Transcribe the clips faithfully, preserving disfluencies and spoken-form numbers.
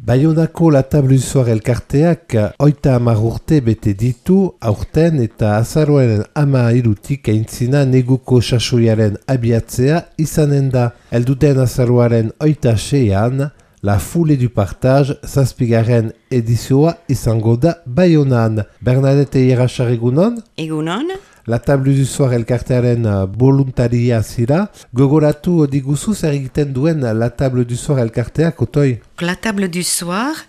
Baionako La Table du Soir elkarteak oita hamar urte bete ditu aurten eta azaroaren ama hirutik aintzina neguko sasoiaren abiatzea izanen da. Elduten azaroaren oita seian, La Foule du Partage zazpigarren edizioa izango da Baionan. Bernadette Ierachar egunon? Egunon? La Table du Soir elkartearen voluntaria zira. Gogoratu diguzu zer egiten duen La Table du Soir elkarteak, otoi? La Table du Soir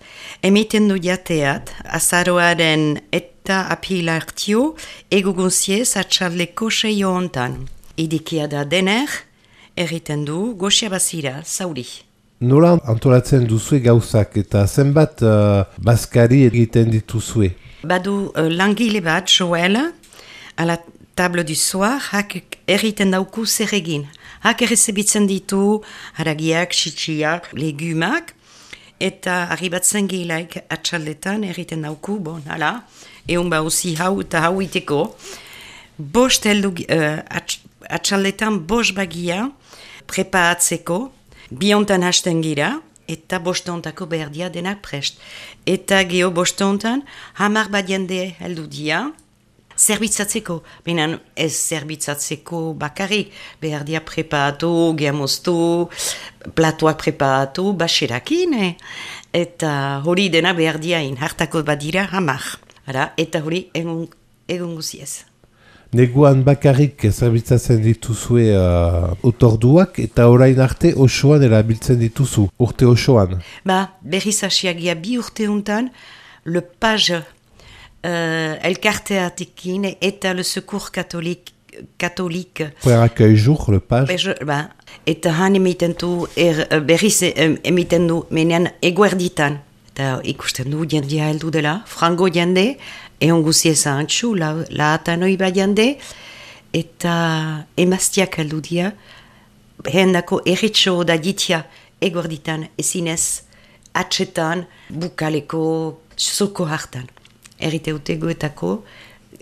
emiten du jateat azaroaren eta apilartio egugunziez atxaldeko seio hontan. Idikia da dener, erriten du goxia bazira, zauri. Nola antolatzen duzue gauzak eta zenbat uh, bazkari egiten dituzue? Badu uh, langile bat, Joel, a la Table du Soir, hak erriten dauku zer egin. Hak errezebitzen ditu haragiak, xitsiak, legumak, eta arribatzen gilaik atxaldetan erriten dauku, bon, hala, egun bauzi hau eta hau iteko. Bost heldu, uh, atx, atxaldetan bost bagia preparatzeko, biontan hasten gira, eta bostontako berdia denak prest. Eta geho bostontan, hamar bat jende heldu dia, zerbitzatzeko, benen ez zerbitzatzeko bakarrik, behar dia preparatu, gehamoztu, platoak preparatu, baserakin, eh? Eta hori dena behar dia in, hartako badira hamar. Ara, eta hori egun, egun guziez. Neguan bakarrik zerbitzatzen dituzue uh, otorduak eta orain arte osoan erabiltzen dituzu, urte osoan. Ba, berriz hasiagia bi urte untan, le page Uh, elkarteatekin eta le secours catholique catholique. Pour accueil jour, le page. Be, ba, eta han emiten du, er, berriz emiten du, menean eguerditan. Eta ikusten du jendia heldu dela, frango jende, egon guzieza antxu, la, la atanoi ba jende, eta emaztiak heldu dia, hendako erritxo da ditia eguerditan, ezinez, atxetan, bukaleko, zoko hartan. Errite utegoetako,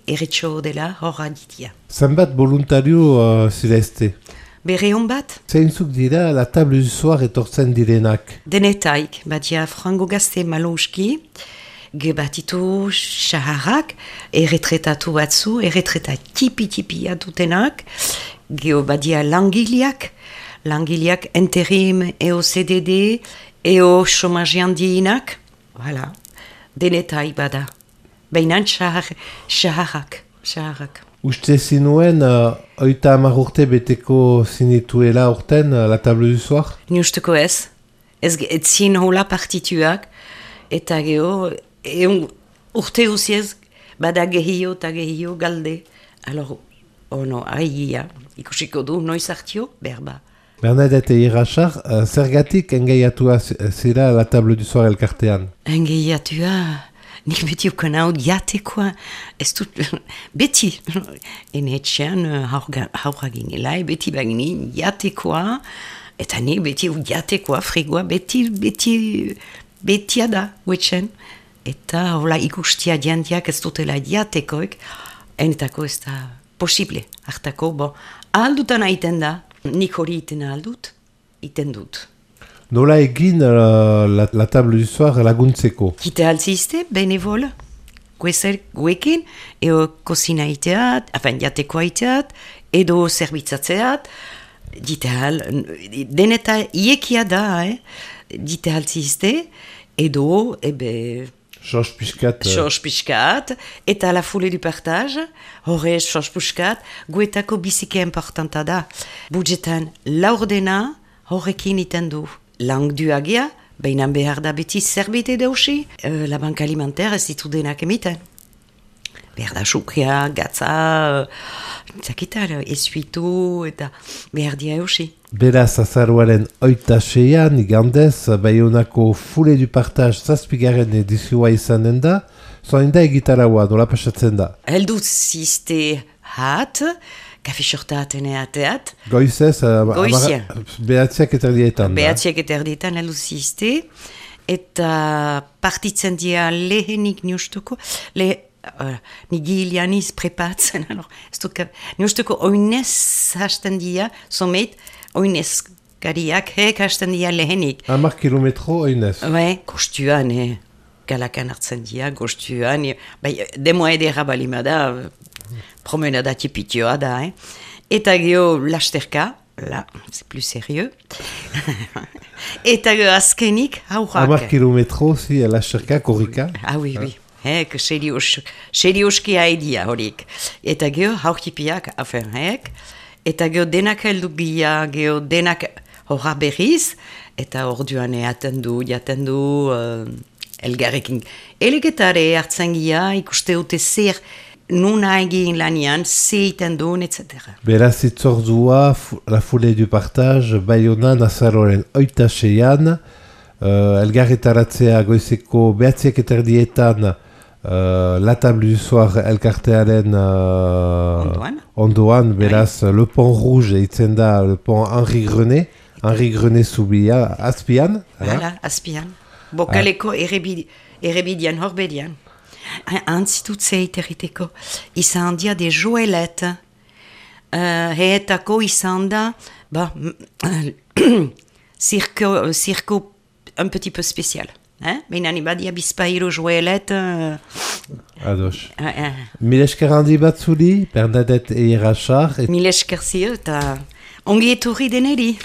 erritxo dela horra ditia. Zenbat voluntario uh, zirezte? Bere hon bat? Zeintzuk dira La Table du Soir etortzen direnak? Denetaik, batia frango gazte malouski, gebatitu xaharrak, erretretatu batzu, erretreta tipi-tipia dutenak, geho badia langileak, langileak interim, eo C D D, eo chômage handienak, voilà, denetaik bada. Bainan xaharrak, xaharrak. Uste zinuen, uh, oita hamar urte beteko zinituela urten uh, La Table du Soir? Ni usteko ez. Ez etzin hola partituak, eta geho, egun urte uziez, bada gehio eta gehio galde. Alors, ono, aia, ikusiko du, noiz hartio, berba. Bernadette Ierachar, uh, zergatik engaiatua zira La Table du Soir elkartean? Engaiatua... Nik beti ukan hau diatekoa, ez dut, beti, enetxean haurra ginelai, beti bagini diatekoa, eta nik beti diatekoa, frigoa, beti, beti, betia da, huetxen. Eta hola ikustia diantiak ez dutela diatekoek, enetako ez da posible, hartako, bon, ahaldutan aiten da, nik hori iten ahaldut, iten dut. Nola egin uh, la, la Table du Soir laguntzeko? Kite altziste, benevol, guezer guekin, eo kozina iteat, afen jateko iteat, edo zerbitzatzeat, dite al, deneta iekia da, eh? Dite altziste, edo, ebe... Sos piskat. Sos piskat, eta La Foule du Partage, horre sos piskat, guetako bizike importanta da. Budgetan laurdena horrekin iten du. Lang duagia, bainan behar da beti zerbait edausi, uh, la banka alimentaire ez ditu denak emiten. Behar da sukria, gatza, uh, zakitar, esuitu, eta behar dia eusi. Beraz, azaroaren oita seian, igandez, Baionako Foule du Partage zazpigarren edizioa izanen da, zoin da egitaraua, nola pasatzen da? Heldu ziste hat, kafe sortaten eateat. Goizez, Goizia. Behatziak eta erdietan. Behatziak eta erdietan heldu ziste, eta partitzen dia lehenik niustuko, le, uh, nigilianiz prepatzen, alors, ez dut, niustuko oinez hasten dia, somet, oinez lasterkariak hek hasten dira lehenik. Hamar kilometro oinez. Bai, gostuan, eh, galakan hartzen dira, gostuan. eh, Bai, demoa edera balima da, promenada tipitioa da, eh. Eta geho lasterka, là, c'est plus sérieux. Eta geho azkenik, Hamar haurak. kilometro, zi, lasterka, korrika. Ah, oui, oui. Hek, serios, serioski haidia horik. Eta geho haurtipiak afen hek. Eta geho denak heldu gira, geho denak horra berriz. Eta orduan eaten du, jaten du, uh, elgarrekin. Elegetare hartzen gira, ikuste dute zer nuna egin lanian, ze iten duen, et cetera. Beraz itzordua, fu- la foulée du partage, Baionan azaroren oita seian, uh, elgarretaratzea goizeko behatziak eterdietan, uh, la table du soir elkartearen uh, Ondoan. ondoan, beraz le pont rouge eitzen da, le pont Henri Grenet, Henri Grenet zubia, azpian, hala? Hala, azpian. Bokaleko errebid, errebidian, horbedian. Antzitut zeiteriteko, izan dia de joelet. Uh, heetako izan da, ba, circo, circo un petit peu spécial. Hein? Baina ni badia bizpahiru joelet. Uh, Ados. uh, uh, Mil esker handi bat zuri, Bernadette Eirachar, et Mil esker zio eta ongi etorri deneri.